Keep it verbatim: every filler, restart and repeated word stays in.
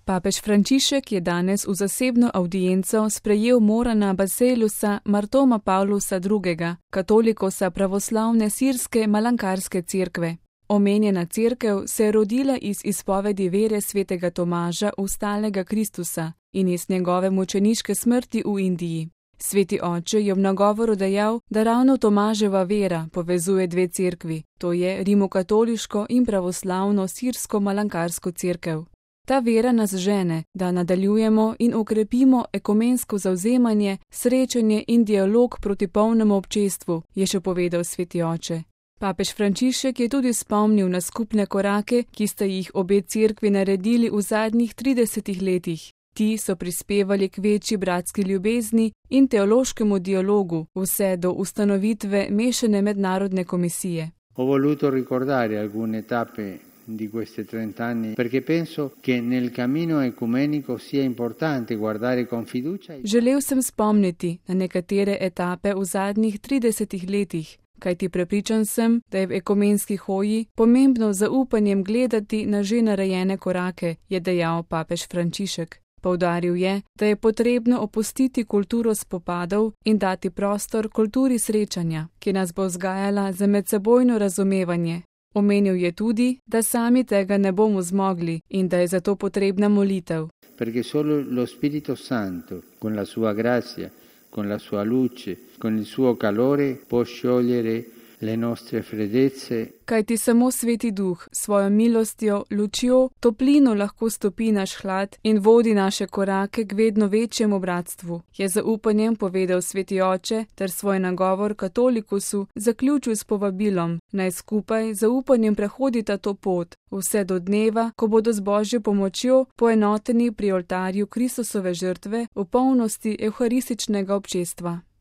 Papež Frančišek je danes v zasebno avdienco sprejel Morana Baseliusa Martoma Pavlusa drugega., katolikosa pravoslavne sirske malankarske cerkve. Omenjena cerkev se je rodila iz izpovedi vere svetega Tomaža Ustalega Kristusa in iz njegove mučeniške smrti v Indiji. Sveti oče je v nagovoru dejal, da ravno Tomaževa vera povezuje dve cerkvi, to je rimokatoliško in pravoslavno sirsko malankarsko cerkev. Ta vera nas žene, da nadaljujemo in okrepimo ekumensko zavzemanje, srečanje in dialog proti polnemu občestvu, je še povedal sveti oče. Papež Frančišek je tudi spomnil na skupne korake, ki sta jih obe cerkvi naredili v zadnjih tridesetih letih. Ti so prispevali k večji bratski ljubezni in teološkemu dialogu, vse do ustanovitve mešane mednarodne komisije. Ho voluto ricordare alcune tappe di questi trent'anni perché penso che nel cammino ecumenico sia importante guardare con fiducia. Želel sem spomniti na nekatere etape v zadnjih tridesetih letih, kajti prepričan sem, da je v ekumenski hoji pomembno z zaupanjem gledati na že narejene korake, je dejal papež Frančišek. Poudaril je, da je potrebno opustiti kulturo spopadov in dati prostor kulturi srečanja, ki nas bo vzgajala za medsebojno razumevanje. Omenil je tudi, da sami tega ne bomo zmogli in da je zato potrebna molitev. Perché solo lo Spirito Santo, con la sua grazia, con la sua luce, con il suo calore, può sciogliere le nostre freddezze. Kajti samo Sveti Duh s svojo milostjo, lučjo, toplino lahko stopi naš hlad in vodi naše korake k vedno večjemu bratstvu, je z upanjem povedal sveti oče ter svoj nagovor katolikusu zaključil s povabilom, naj skupaj z upanjem prehodita to pot, vse do dneva, ko bodo z Božjo pomočjo poenoteni pri oltarju Kristusove žrtve v polnosti evharističnega občestva.